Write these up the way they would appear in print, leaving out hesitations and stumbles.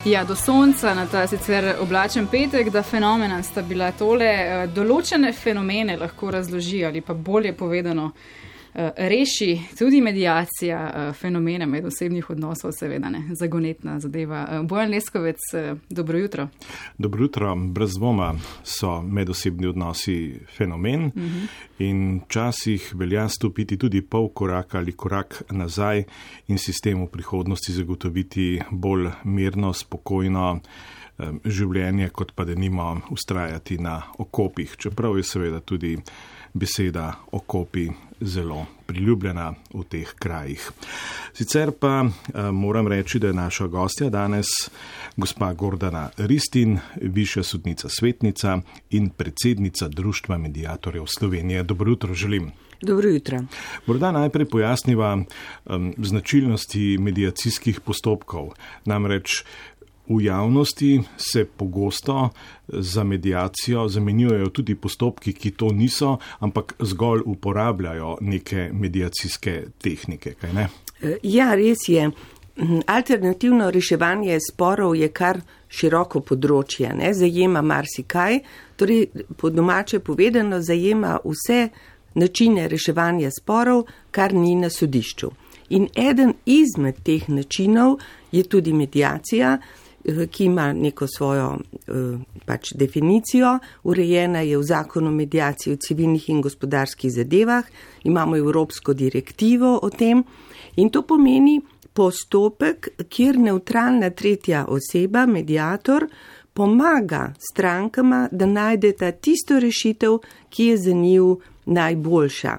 Ja, do sonca na ta sicer oblačen petek, da fenomena sta bila tole. Določene fenomene lahko razloži ali pa bolje povedano reši tudi mediacija fenomena medosebnih odnosov, seveda ne, zagonetna zadeva. Bojan Leskovec, dobro jutro. Dobro jutro. Brez dvoma so medosebni odnosi fenomen in včasih velja stopiti tudi pol koraka ali korak nazaj in sistemu prihodnosti zagotoviti bolj mirno, spokojno življenje, kot pa denimo vztrajati na okopih, čeprav je seveda tudi beseda okopi zelo priljubljena v teh krajih. Sicer pa moram reči, da je naša gostja danes gospa Gordana Ristin, višja sodnica svetnica in predsednica Društva mediatorjev Slovenije. Dobro jutro želim. Dobro jutro. Morda najprej pojasniva značilnosti mediacijskih postopkov. Namreč v javnosti se pogosto za mediacijo zamenjujejo tudi postopki, ki to niso, ampak zgolj uporabljajo neke mediacijske tehnike, kaj ne? Ja, res je. Alternativno reševanje sporov je kar široko področje, ne? Zajema marsikaj, torej po domače povedano zajema vse načine reševanja sporov, kar ni na sodišču. In eden izmed teh načinov je tudi mediacija, ki ima neko svojo definicijo, urejena je v zakonu o mediaciji v civilnih in gospodarskih zadevah, imamo evropsko direktivo o tem in to pomeni postopek, kjer nevtralna tretja oseba, mediator, pomaga strankama, da najdeta tisto rešitev, ki je za njiju najboljša.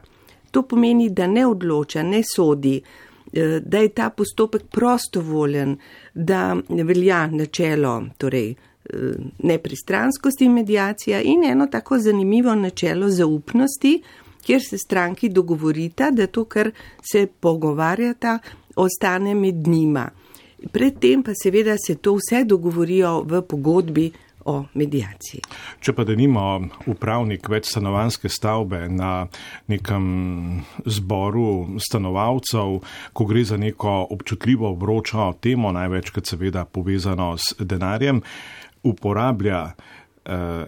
To pomeni, da ne odloča, ne sodi, da je ta postopek prostovoljen, da velja načelo, torej nepristranskosti mediacija in eno tako zanimivo načelo zaupnosti, kjer se stranki dogovorita, da to, kar se pogovarjata, ostane med njima. Predtem pa seveda se to vse dogovorijo v pogodbi o mediaciji. Če pa denimo upravnik večstanovanjske stavbe na nekem zboru stanovalcev, ko gre za neko občutljivo vročo temo, največkrat seveda povezano s denarjem, uporablja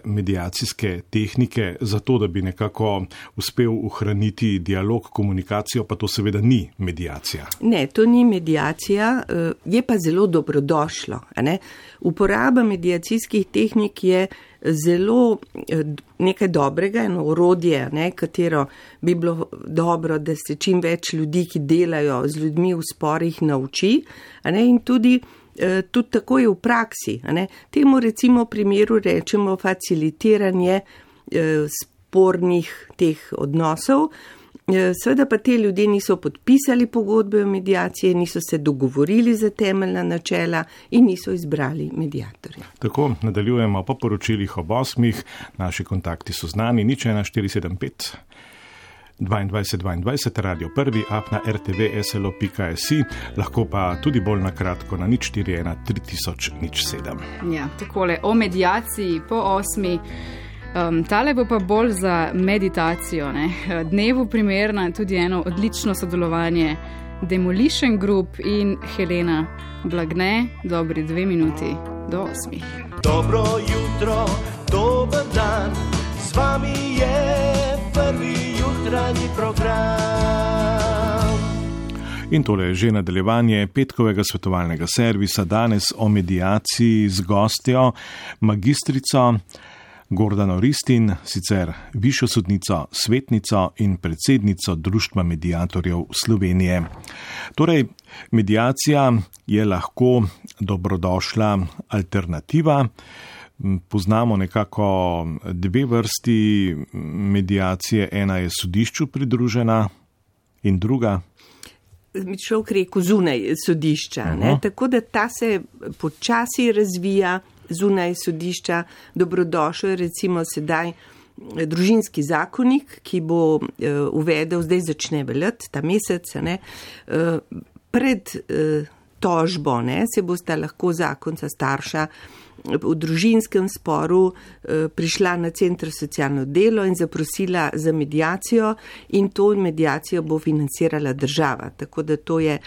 mediacijske tehnike za to, da bi nekako uspel ohraniti dialog, komunikacijo, pa to seveda ni mediacija. Ne, to ni mediacija, je pa zelo dobrodošlo. Ne? Uporaba mediacijskih tehnik je zelo nekaj dobrega, eno orodje, ne, katero bi bilo dobro, da se čim več ljudi, ki delajo z ljudmi v sporih, nauči, ne, in tudi tako je v praksi. Ne. Temu recimo primeru rečemo facilitiranje spornih teh odnosov. Seveda pa te ljudje niso podpisali pogodbe o mediaciji, niso se dogovorili za temeljna načela in niso izbrali mediatorja. Tako, nadaljujemo po poročilih ob 8. Naši kontakti so znani, 0475 22 Radio 1, app na rtv.slo.si, lahko pa tudi bolj na kratko na 041 3007. Ja, takole, o mediaciji po 8. Tale bo pa bolj za meditacijo, ne? Dnevu primerna tudi eno odlično sodelovanje Demolition Group in Helena Blagne, dobri 2 minuti do 8. Dobro jutro, dober dan, z vami je prvi jutranji program. In tole je že nadaljevanje petkovega svetovalnega servisa, danes o mediaciji z gostjo, magistrico Gordano Ristin, sicer višjo sodnico, svetnico in predsednico Društva mediatorjev Slovenije. Torej, mediacija je lahko dobrodošla alternativa. Poznamo nekako 2 vrsti mediacije, ena je sodišču pridružena in druga. Človek rekel zunaj sodišča, ne? Tako da ta se počasi razvija zunaj sodišča. Dobrodošel je recimo sedaj družinski zakonik, ki bo uvedel, zdaj začne veljati ta mesec, ne? Pred tožbo, ne, se bosta lahko zakonca starša v družinskem sporu prišla na Center socialno delo in zaprosila za mediacijo in to mediacijo bo financirala država. Tako da to je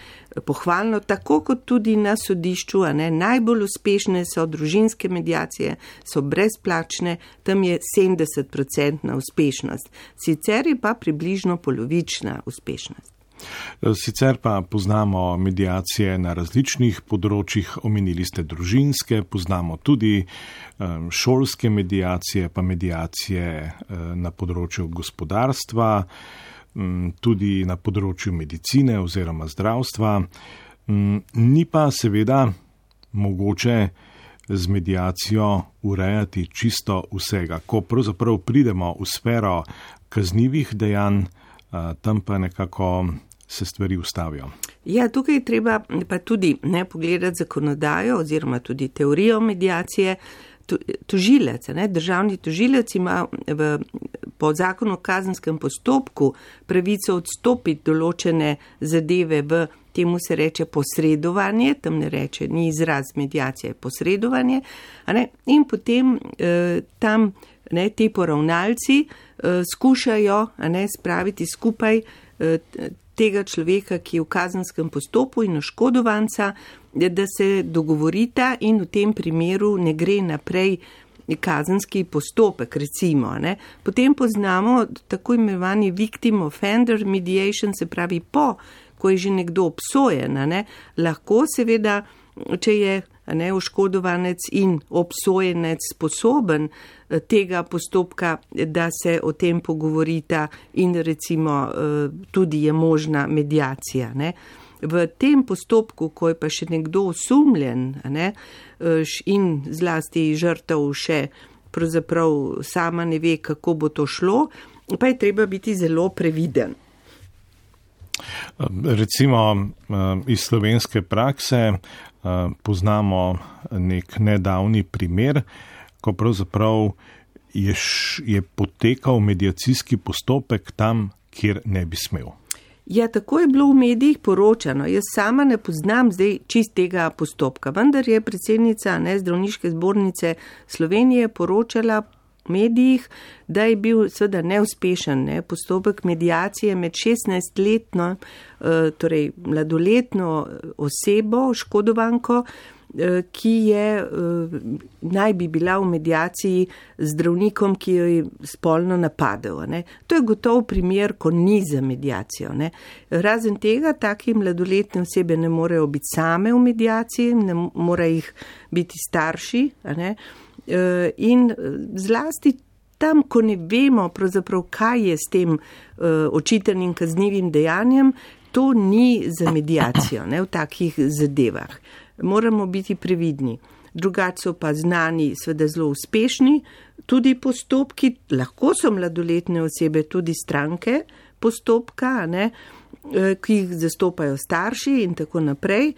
pohvalno, tako kot tudi na sodišču, najbolj uspešne so družinske mediacije, so brezplačne, tam je 70% uspešnost. Sicer je pa približno polovična uspešnost. Sicer pa poznamo mediacije na različnih področjih, omenili ste družinske, poznamo tudi šolske mediacije, pa mediacije na področju gospodarstva, tudi na področju medicine oziroma zdravstva. Ni pa seveda mogoče z mediacijo urejati čisto vsega. Ko pravzaprav pridemo v sfero kaznivih dejanj, tam pa nekako se stvari ustavijo. Ja, tukaj treba pa tudi pogledati zakonodajo oziroma tudi teorijo mediacije. Tožilec, državni tožilec ima po zakonu o kazenskem postopku pravico odstopiti določene zadeve v temu se reče posredovanje, tam ne reče, ni izraz mediacije, posredovanje, in potem tam ti poravnalci skušajo spraviti skupaj tega človeka, ki je v kazenskem postopku in oškodovanca, da se dogovorita in v tem primeru ne gre naprej kazenski postopek, recimo. Potem poznamo tako imenovani victim offender mediation, se pravi ko je že nekdo obsojen, lahko seveda, če je oškodovanec in obsojenec sposoben tega postopka, da se o tem pogovorita in recimo tudi je možna mediacija. V tem postopku, ko je pa še nekdo osumljen in zlasti žrtev še pravzaprav sama ne ve, kako bo to šlo, pa je treba biti zelo previden. Recimo iz slovenske prakse poznamo nek nedavni primer, ko pravzaprav je potekal mediacijski postopek tam, kjer ne bi smel. Ja, tako je bilo v medijih poročano. Jaz sama ne poznam zdaj čistega postopka, vendar je predsednica Zdravniške zbornice Slovenije poročala v medijih, da je bil seveda neuspešen postopek mediacije med 16-letno, torej mladoletno osebo, oškodovanko, ki je naj bi bila v mediaciji z zdravnikom, ki jo je spolno napadel. To je gotov primer, ko ni za mediacijo. Razen tega, taki mladoletne osebe ne morejo biti same v mediaciji, ne morejo jih biti starši. In zlasti tam, ko ne vemo pravzaprav, kaj je s tem očitanim kaznivim dejanjem, to ni za mediacijo v takih zadevah. Moramo biti previdni. Drugače so pa znani seveda zelo uspešni tudi postopki, lahko so mladoletne osebe tudi stranke postopka, ki jih zastopajo starši in tako naprej.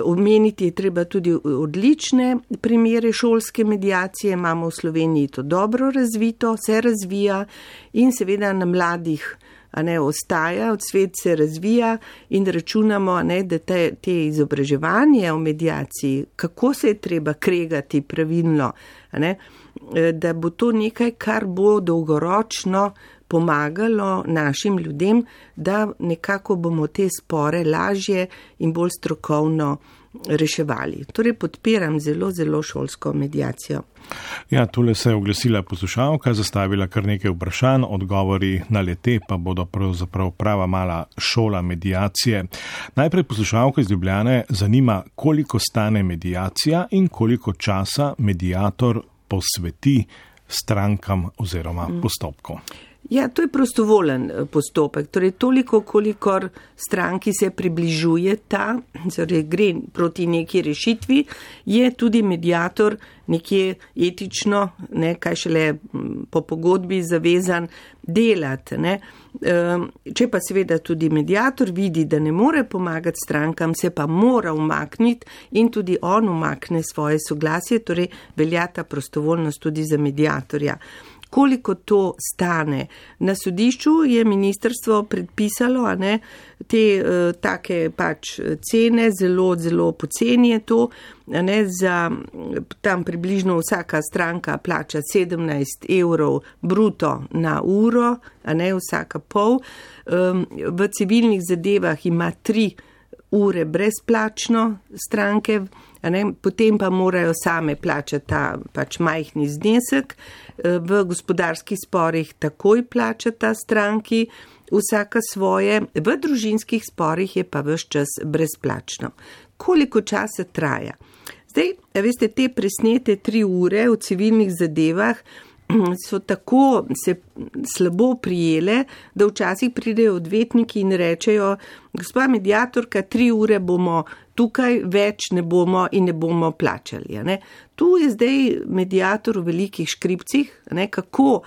Omeniti je treba tudi odlične primere šolske mediacije, imamo v Sloveniji to dobro razvito, se razvija in seveda na mladih ostaja, svet se razvija in računamo, da te izobraževanje o mediaciji, kako se je treba kregati pravilno, da bo to nekaj, kar bo dolgoročno pomagalo našim ljudem, da nekako bomo te spore lažje in bolj strokovno reševali. Torej podpiram zelo, zelo šolsko mediacijo. Ja, tule se je oglasila poslušalka, zastavila kar nekaj vprašanj, odgovori na le-te pa bodo pravzaprav prava mala šola mediacije. Najprej poslušalka iz Ljubljane zanima, koliko stane mediacija in koliko časa mediator posveti strankam oziroma postopku. Ja, to je prostovoljen postopek, torej toliko, kolikor stranki se približuje torej gre proti neki rešitvi, je tudi mediator nekje etično, kaj šele po pogodbi zavezan delati. Če pa seveda tudi mediator vidi, da ne more pomagati strankam, se pa mora umakniti in tudi on umakne svoje soglasje, torej velja ta prostovoljnost tudi za mediatorja. koliko to stane. Na sodišču je ministrstvo predpisalo, te take pač cene, zelo, zelo poceni je to, za tam približno vsaka stranka plača 17 € bruto na uro, vsaka pol. V civilnih zadevah ima 3 ure brezplačno stranke, potem pa morajo same plačati ta pač majhni znesek. V gospodarskih sporih takoj plačata stranki vsaka svoje, v družinskih sporih je pa ves čas brezplačno. Koliko časa traja? Zdaj, veste, te presnete 3 ure v civilnih zadevah so tako se slabo prijele, da včasih pridejo odvetniki in rečejo, gospa mediatorka, 3 ure bomo tukaj, več ne bomo in ne bomo plačali. Tu je zdaj mediator v velikih škripcih, kako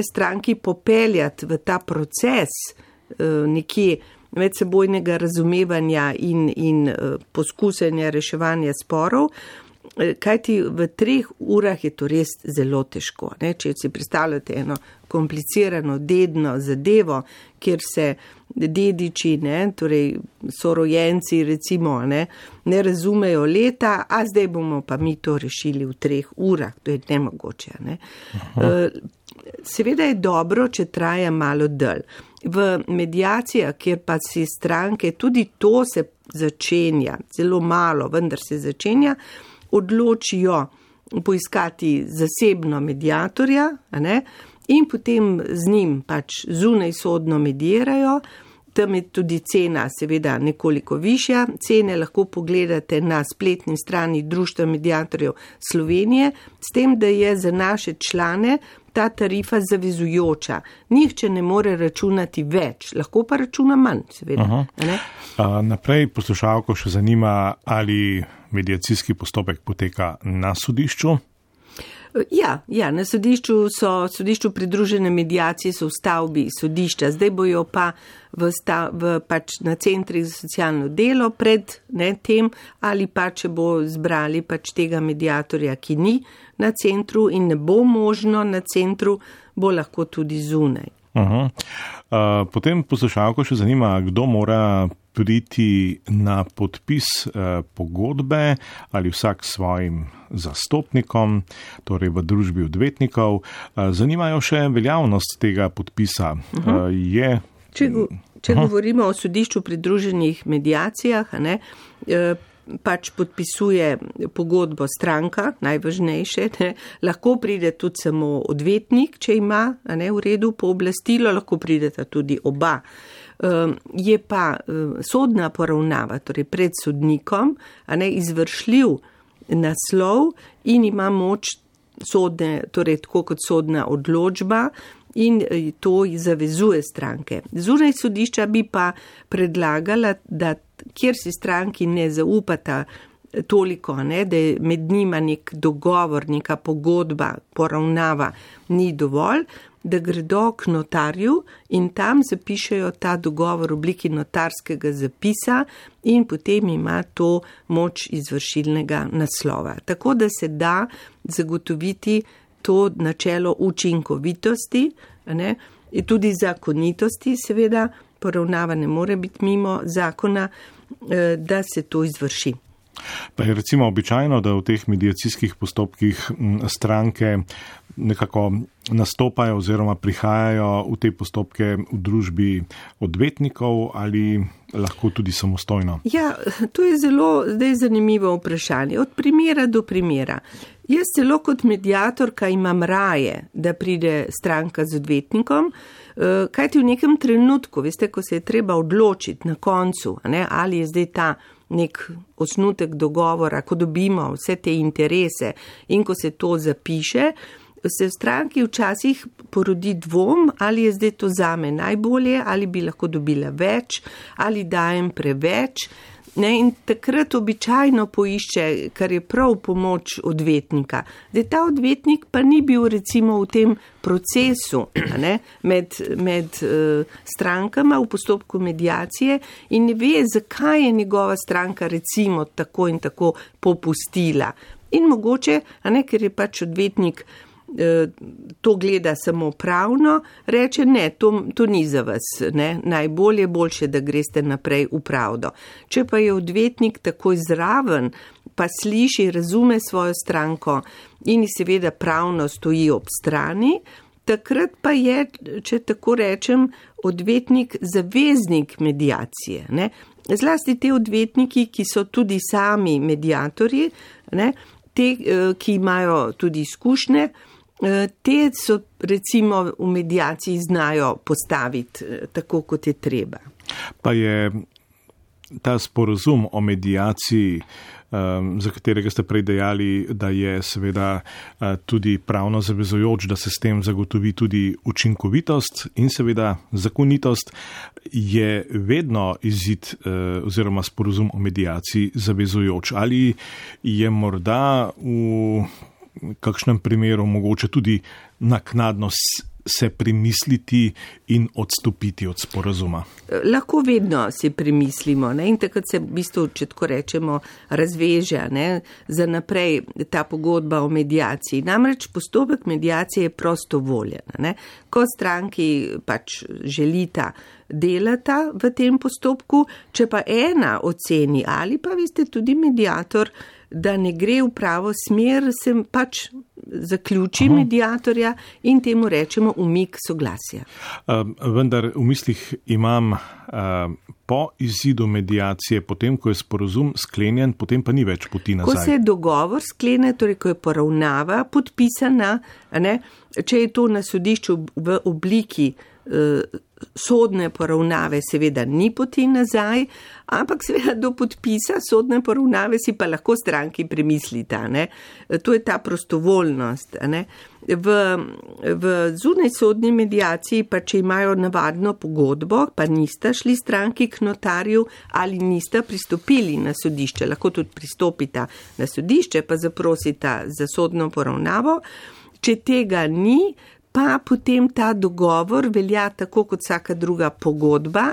stranki popeljati v ta proces nekje medsebojnega razumevanja in poskusenja reševanja sporov, kajti v 3 urah je to res zelo težko. Če si predstavljate eno komplicirano dedno zadevo, kjer se dediči, torej sorojenci recimo, ne razumejo leta, a zdaj bomo pa mi to rešili v 3 urah, to je nemogoče. Seveda je dobro, če traja malo dlje. V mediacijah, kjer pa si stranke, tudi to se začenja, zelo malo, vendar se začenja, odločijo poiskati zasebno mediatorja, in potem z njim pač zunaj sodno medirajo. Tam je tudi cena seveda nekoliko višja. Cene lahko pogledate na spletni strani Društva mediatorjev Slovenije, s tem, da je za naše člane ta tarifa zavezujoča. Nihče ne more računati več, lahko pa računa manj, seveda. Naprej poslušalko še zanima, ali mediacijski postopek poteka na sodišču? Ja, na sodišču pridružene mediacije so v stavbi sodišča, zdaj bojo pa pač na centrih za socialno delo pred tem, ali pa če bo zbrali pač tega mediatorja, ki ni na centru in ne bo možno na centru, bo lahko tudi zunaj. Potem poslušalko še zanima, kdo mora priti na podpis pogodbe ali vsak svojim zastopnikom, torej v družbi odvetnikov. Zanimajo še veljavnost tega podpisa. Če govorimo o sodišču pridruženih mediacijah, pač podpisuje pogodbo stranka, najvažnejše, lahko pride tudi samo odvetnik, če ima v redu pooblastilo, lahko prideta tudi oba. Je pa sodna poravnava, torej pred sodnikom, izvršljiv naslov in ima moč sodne, torej tako kot sodna odločba, in to zavezuje stranke. Zunaj sodišča bi pa predlagala, da kjer si stranki ne zaupata toliko, da je med njima nek dogovor, neka pogodba, poravnava ni dovolj, da gredo k notarju in tam zapišejo ta dogovor v obliki notarskega zapisa in potem ima to moč izvršilnega naslova. Tako da se da zagotoviti to načelo učinkovitosti, in tudi zakonitosti, seveda, poravnava ne more biti mimo zakona, da se to izvrši. Pa je recimo običajno, da v teh mediacijskih postopkih stranke nekako nastopajo oziroma prihajajo v te postopke v družbi odvetnikov ali lahko tudi samostojno? Ja, to je zelo zdaj zanimivo vprašanje. Od primera do primera. Jaz celo kot mediatorka imam raje, da pride stranka z odvetnikom, kajti v nekem trenutku, veste, ko se je treba odločiti na koncu, ali je zdaj ta nek osnutek dogovora, ko dobimo vse te interese in ko se to zapiše, se v stranki včasih porodi dvom, ali je zdaj to zame najbolje, ali bi lahko dobila več, ali dajem preveč. In takrat običajno poišče, kar je prav pomoč odvetnika. Zdaj ta odvetnik pa ni bil recimo v tem procesu med strankama v postopku mediacije in ne ve, zakaj je njegova stranka recimo tako in tako popustila. In mogoče, ker je pač odvetnik to gleda samo pravno, reče ne, to ni za vas, ne, boljše, da greste naprej v pravdo. Če pa je odvetnik takoj zraven, pa sliši, razume svojo stranko in seveda pravno stoji ob strani, takrat pa je, če tako rečem, odvetnik zaveznik mediacije, ne. Zlasti te odvetniki, ki so tudi sami mediatorji, ne, te, ki imajo tudi izkušnje, te so recimo v mediaciji znajo postaviti tako, kot je treba. Pa je ta sporazum o mediaciji, za katerega ste prej dejali, da je seveda tudi pravno zavezujoč, da se s tem zagotovi tudi učinkovitost in seveda zakonitost, je vedno izid oziroma sporazum o mediaciji zavezujoč. Ali je morda v kakšnem primeru mogoče tudi naknadno se premisliti in odstopiti od sporazuma? Lahko vedno si premislimo, ne? In takrat se v bistvu, če tako rečemo, razveže, ne? Za naprej ta pogodba o mediaciji. Namreč postopek mediacije je prostovoljen, ne? Ko stranki pač želita delata v tem postopku, če pa ena oceni ali pa vi ste tudi mediator, da ne gre v pravo smer, se pač zaključi mediatorja in temu rečemo umik soglasja. Vendar v mislih imam po izidu mediacije, potem, ko je sporazum sklenjen, potem pa ni več poti nazaj. Ko se dogovor sklene, torej ko je poravnava podpisana, ne, če je to na sodišču v obliki sodne poravnave, seveda ni poti nazaj, ampak seveda do podpisa sodne poravnave si pa lahko stranki premislita, ne. To je ta prostovoljnost, ne. V zunaj sodni mediaciji pa, če imajo navadno pogodbo, pa nista šli stranki k notarju ali nista pristopili na sodišče, lahko tudi pristopita na sodišče, pa zaprosita za sodno poravnavo. Če tega ni, pa potem ta dogovor velja tako kot vsaka druga pogodba,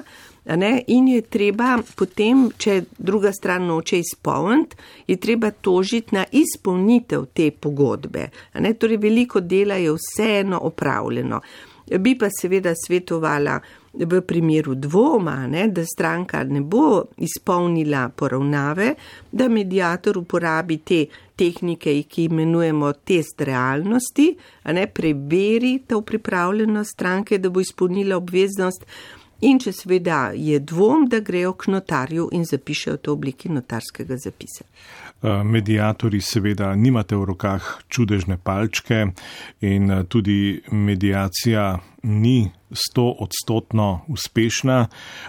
ne, in je treba potem, če druga stran noče izpolniti, je treba tožiti na izpolnitev te pogodbe. Ne, torej veliko dela je vseeno opravljeno. Bi pa seveda svetovala v primeru dvoma, ne, da stranka ne bo izpolnila poravnave, da mediator uporabi te tehnike, ki imenujemo test realnosti, ne, preveri to pripravljenost stranke, da bo izpolnila obveznost in če seveda je dvom, da grejo k notarju in zapišejo to v obliki notarskega zapisa. Mediatorji seveda nimate v rokah čudežne palčke in tudi mediacija ni 100% uspešna,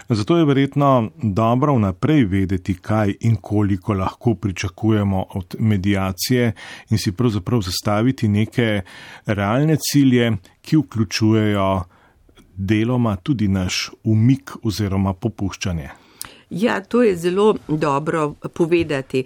zato je verjetno dobro vnaprej vedeti, kaj in koliko lahko pričakujemo od mediacije in si pravzaprav zastaviti neke realne cilje, ki vključujejo deloma tudi naš umik oziroma popuščanje. Ja, to je zelo dobro povedati.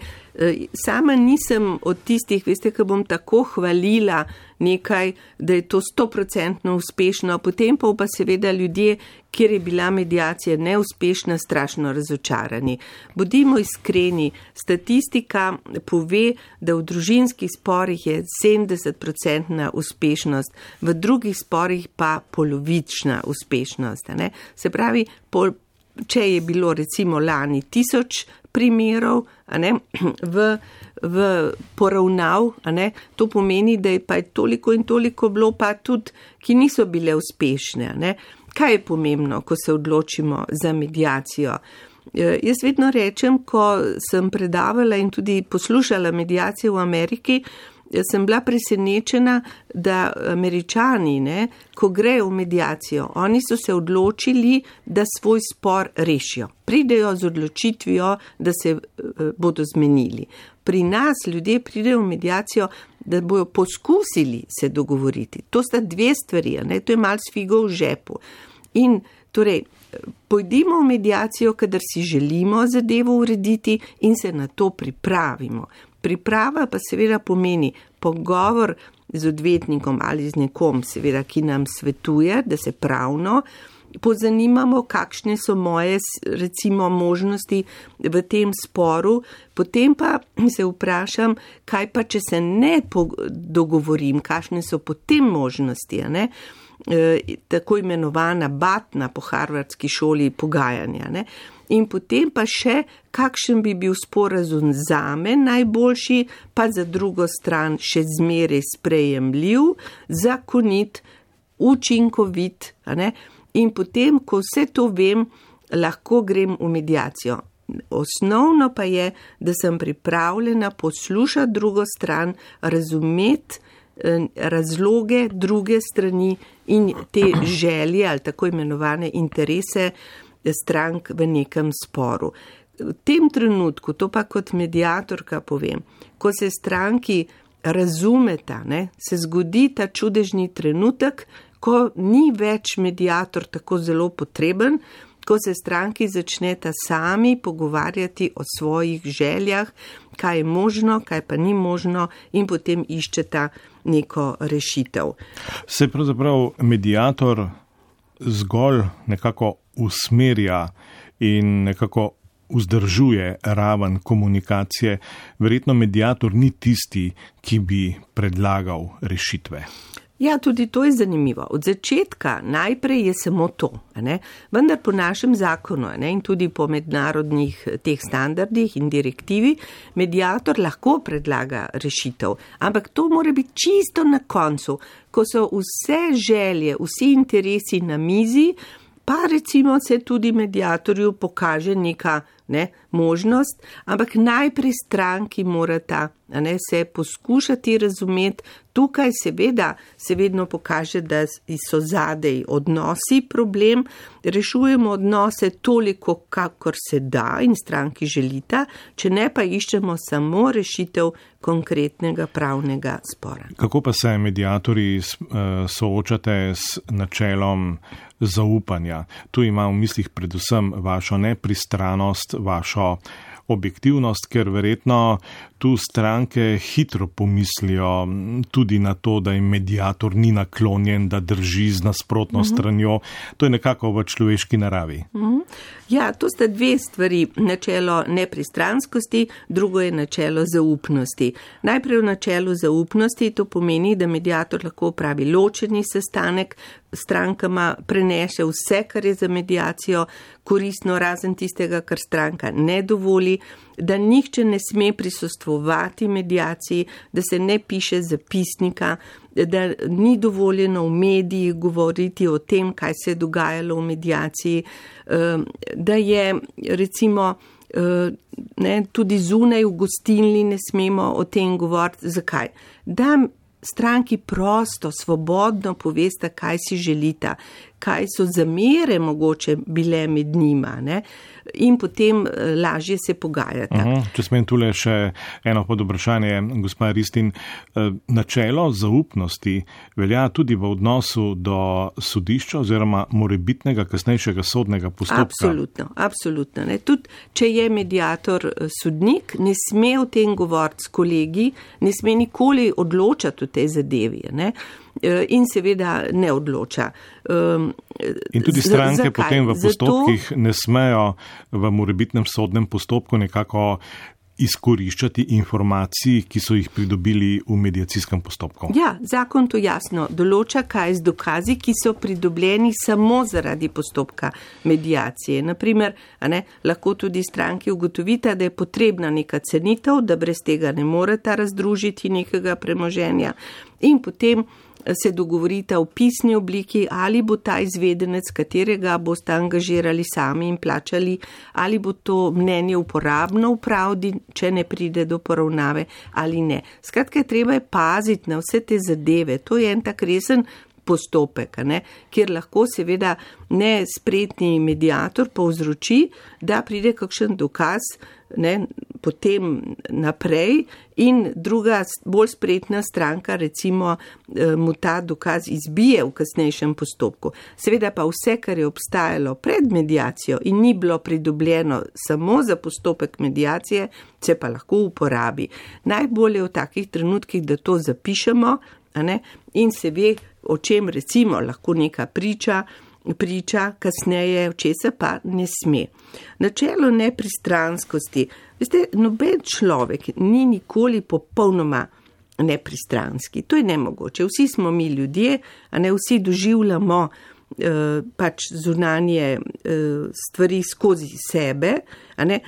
Sama nisem od tistih, veste, ki bom tako hvalila nekaj, da je to 100% uspešno, potem pa seveda ljudje, kjer je bila mediacija neuspešna, strašno razočarani. Bodimo iskreni, statistika pove, da v družinskih sporih je 70% uspešnost, v drugih sporih pa polovična uspešnost. Ne? Se pravi, če je bilo recimo lani 1000 primerov, ne, v poravnav, ne, to pomeni, da je pa toliko in toliko bilo pa tudi, ki niso bile uspešne. Ne. Kaj je pomembno, ko se odločimo za mediacijo? Jaz vedno rečem, ko sem predavala in tudi poslušala mediacijo v Ameriki, sem bila presenečena, da Američani, ne, ko grejo v mediacijo, oni so se odločili, da svoj spor rešijo. Pridejo z odločitvijo, da se bodo zmenili. Pri nas ljudje pridejo v mediacijo, da bojo poskusili se dogovoriti. To sta dve stvari, ne, to je malo s figo v žepu. In torej, pojdimo v mediacijo, kadar si želimo zadevo urediti in se na to pripravimo. Priprava pa seveda pomeni pogovor z odvetnikom ali z nekom, seveda, ki nam svetuje, da se pravno pozanimamo, kakšne so moje, recimo, možnosti v tem sporu, potem pa se vprašam, kaj pa, če se ne dogovorim, kakšne so potem možnosti, ne? Tako imenovana batna po harvardski šoli pogajanja. Ne? In potem pa še, kakšen bi bil sporazum zame najboljši, pa za drugo stran še zmeraj sprejemljiv, zakonit, učinkovit. Ne? In potem, ko vse to vem, lahko grem v mediacijo. Osnovno pa je, da sem pripravljena poslušati drugo stran, razumeti razloge druge strani in te želje ali tako imenovane interese strank v nekem sporu. V tem trenutku, to pa kot mediatorka povem, ko se stranki razumeta, ne, se zgodi ta čudežni trenutek, ko ni več mediator tako zelo potreben, ko se stranki začneta sami pogovarjati o svojih željah, kaj je možno, kaj pa ni možno in potem iščeta neko rešitev. Se pravzaprav mediator zgolj nekako usmerja in nekako vzdržuje raven komunikacije. Verjetno mediator ni tisti, ki bi predlagal rešitve. Ja, tudi to je zanimivo. Od začetka najprej je samo to, ne? Vendar po našem zakonu, ne? In tudi po mednarodnih teh standardih in direktivi, mediator lahko predlaga rešitev, ampak to mora biti čisto na koncu, ko so vse želje, vsi interesi na mizi, pa recimo se tudi mediatorju pokaže neka možnost, ampak najprej stranki morata se poskušati razumeti. Tukaj seveda se vedno pokaže, da so zadej odnosi problem, rešujemo odnose toliko, kakor se da in stranki želita, če ne pa iščemo samo rešitev konkretnega pravnega spora. Kako pa se mediatorji soočate s načelom zaupanja? Tu imam v mislih predvsem vašo nepristranost, vašo objektivnost, ker verjetno tu stranke hitro pomislijo tudi na to, da jim mediator ni naklonjen, da drži z nasprotno stranjo. To je nekako v človeški naravi. Ja, to sta dve stvari. Načelo nepristranskosti, drugo je načelo zaupnosti. Najprej v načelu zaupnosti to pomeni, da mediator lahko opravi ločeni sestanek, strankama prenese vse, kar je za mediacijo koristno, razen tistega, kar stranka ne dovoli, da nihče ne sme prisostvovati mediaciji, da se ne piše zapisnika, da ni dovoljeno v mediji govoriti o tem, kaj se je dogajalo v mediaciji, da je recimo tudi zunaj v gostilni ne smemo o tem govoriti. Zakaj? Da stranki prosto, svobodno povesta, kaj si želita, kaj so zamere mogoče bile med njima, ne? In potem lažje se pogajati. Če smem tule še eno podvprašanje, gospa Ristin, načelo zaupnosti velja tudi v odnosu do sodišča oziroma morebitnega kasnejšega sodnega postopka? Absolutno. Ne? Tudi, če je mediator sodnik, ne sme o tem govoriti s kolegi, ne sme nikoli odločati o tej zadevi, ne? In seveda ne odloča. In tudi stranke potem v postopkih ne smejo v morebitnem sodnem postopku nekako izkoriščati informacij, ki so jih pridobili v mediacijskem postopku. Ja, zakon to jasno določa, kaj z dokazi, ki so pridobljeni samo zaradi postopka mediacije. Naprimer, lahko tudi stranki ugotovita, da je potrebna neka cenitev, da brez tega ne moreta razdružiti nekega premoženja in potem se dogovorita v pisni obliki, ali bo ta izvedenec, katerega boste angažirali sami in plačali, ali bo to mnenje uporabno v pravdi, če ne pride do poravnave ali ne. Skratka, treba je paziti na vse te zadeve. To je en tak resen postopek, kjer lahko seveda nespretni mediator povzroči, da pride kakšen dokaz potem naprej in druga bolj spretna stranka recimo mu ta dokaz izbije v kasnejšem postopku. Seveda pa vse, kar je obstajalo pred mediacijo in ni bilo pridobljeno samo za postopek mediacije, se pa lahko uporabi. Najbolje v takih trenutkih, da to zapišemo in se ve, o čem recimo lahko neka priča, priča kasneje, česa pa ne sme. Načelo nepristranskosti. Veste, noben človek ni nikoli popolnoma nepristranski. To je nemogoče. Vsi smo mi ljudje, a ne vsi doživljamo pač zunanje stvari skozi sebe. A ne?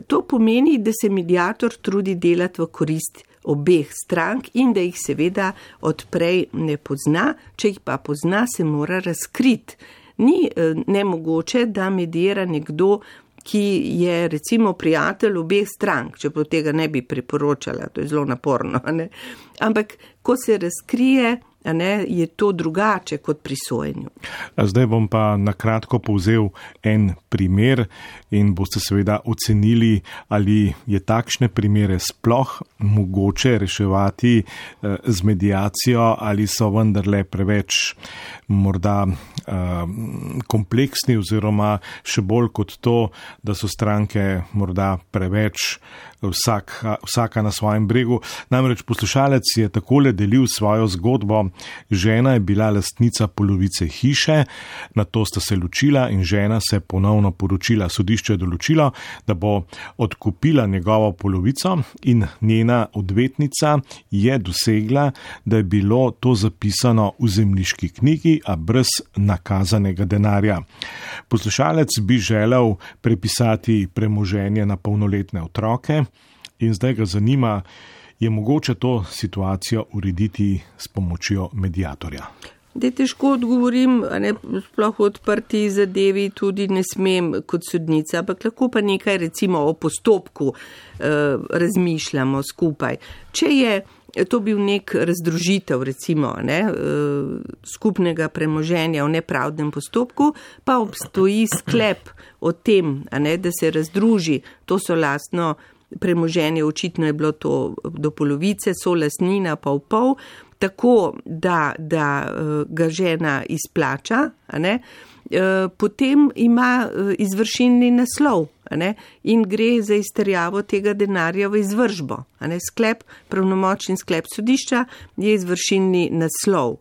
To pomeni, da se mediator trudi delati v korist obeh strank in da jih seveda odprej ne pozna, če jih pa pozna, se mora razkriti. Ni nemogoče, da medira nekdo, ki je recimo prijatelj obeh strank, čeprav tega ne bi priporočala, to je zelo naporno. Ne? Ampak, ko se razkrije, je to drugače kot pri sojenju. Zdaj bom pa na kratko povzel en primer in boste seveda ocenili, ali je takšne primere sploh mogoče reševati z mediacijo ali so vendarle preveč morda kompleksni oziroma še bolj kot to, da so stranke morda preveč vsaka na svojem bregu. Namreč poslušalec je takole delil svojo zgodbo. Žena je bila lastnica polovice hiše, nato sta se ločila in žena se ponovno poročila. Sodišče je določilo, da bo odkupila njegovo polovico in njena odvetnica je dosegla, da je bilo to zapisano v zemljiški knjigi, a brez nakazanega denarja. Poslušalec bi želel prepisati premoženje na polnoletne otroke in zdaj ga zanima, je mogoče to situacijo urediti s pomočjo mediatorja? Da težko odgovorim, sploh v odprti zadevi tudi ne smem kot sodnica, ampak lahko pa nekaj recimo o postopku razmišljamo skupaj. Če je to bil nek razdružitev recimo skupnega premoženja v nepravdnem postopku, pa obstoji sklep o tem, da se razdruži, to so lastno premoženje, očitno je bilo to do polovice, so lastnina pa v pol, tako da ga žena izplača, potem ima izvršilni naslov in gre za izterjavo tega denarja v izvršbo. Sklep, pravnomočen sklep sodišča je izvršilni naslov.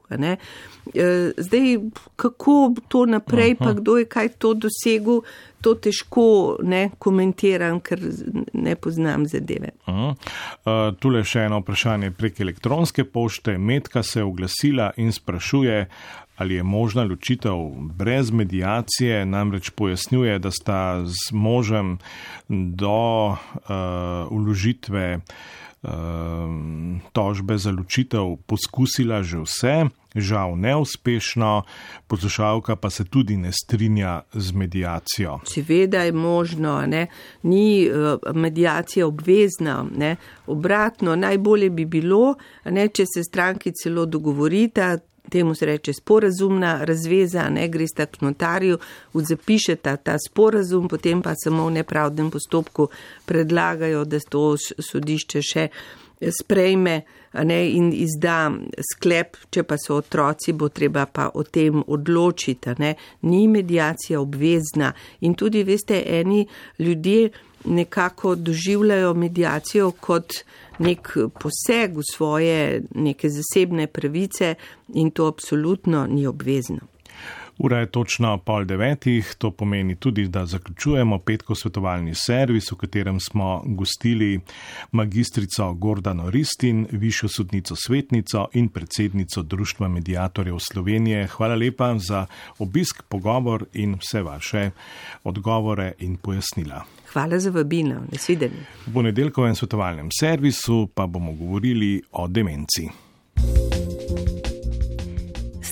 Zdaj, kako to naprej, pa kdo je kaj to dosegel, to težko komentiram, ker ne poznam zadeve. Tule še eno vprašanje prek elektronske pošte. Metka se je oglasila in sprašuje, ali je možna ločitev brez mediacije, namreč pojasnjuje, da sta z možem do vložitve tožbe za ločitev poskusila že vse, žal neuspešno, poslušalka pa se tudi ne strinja z mediacijo. Seveda je možno, ni mediacija obvezna, obratno, najbolje bi bilo, če se stranki celo dogovorita, temu se reče sporazumna razveza, gresta k notarju, zapišeta ta sporazum, potem pa samo v nepravdnem postopku predlagajo, da to sodišče še sprejme in izda sklep, če pa so otroci, bo treba pa o tem odločiti. Ni mediacija obvezna in tudi, veste, eni ljudje nekako doživljajo mediacijo kot nek poseg v svoje neke zasebne pravice in to absolutno ni obvezno. Ura je točno 8:30, to pomeni tudi, da zaključujemo petkov svetovalni servis, v katerem smo gostili magistrico Gordano Ristin, višjo sodnico svetnico in predsednico Društva mediatorjev Slovenije. Hvala lepa za obisk, pogovor in vse vaše odgovore in pojasnila. Hvala za vabilo, nasvidenje. V ponedeljkovem svetovalnem servisu pa bomo govorili o demenci.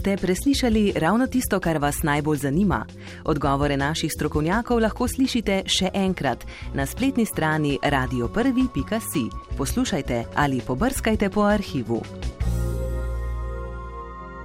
Ste preslišali ravno tisto, kar vas najbolj zanima? Odgovore naših strokovnjakov lahko slišite še enkrat na spletni strani radio1.si. Poslušajte ali pobrskajte po arhivu.